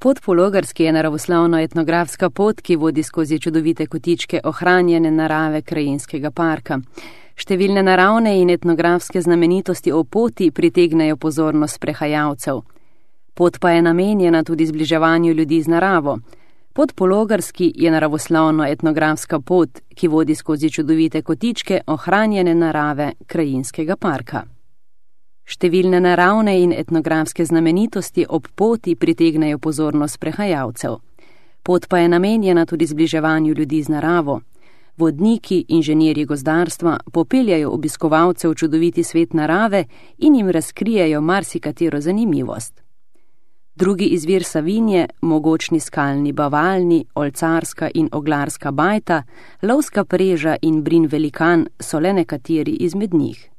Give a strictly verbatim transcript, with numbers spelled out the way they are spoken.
Pot po Logarski je naravoslovno-etnografska pot, ki vodi skozi čudovite kotičke ohranjene narave krajinskega parka. Številne naravne in etnografske znamenitosti o poti pritegnejo pozornost sprehajalcev. Pot pa je namenjena tudi zbliževanju ljudi z naravo. Pot po Logarski je naravoslovno-etnografska pot, ki vodi skozi čudovite kotičke ohranjene narave krajinskega parka. Številne naravne in etnografske znamenitosti ob poti pritegnejo pozornost sprehajalcev. Pot pa je namenjena tudi zbliževanju ljudi z naravo. Vodniki, inženirji gozdarstva popeljajo obiskovalce v čudoviti svet narave in jim razkrijejo marsikatero zanimivost. Drugi izvir Savinje, mogočni skalni bavalni, olcarska in oglarska bajta, lovska preža in brin velikan so le nekateri izmed njih.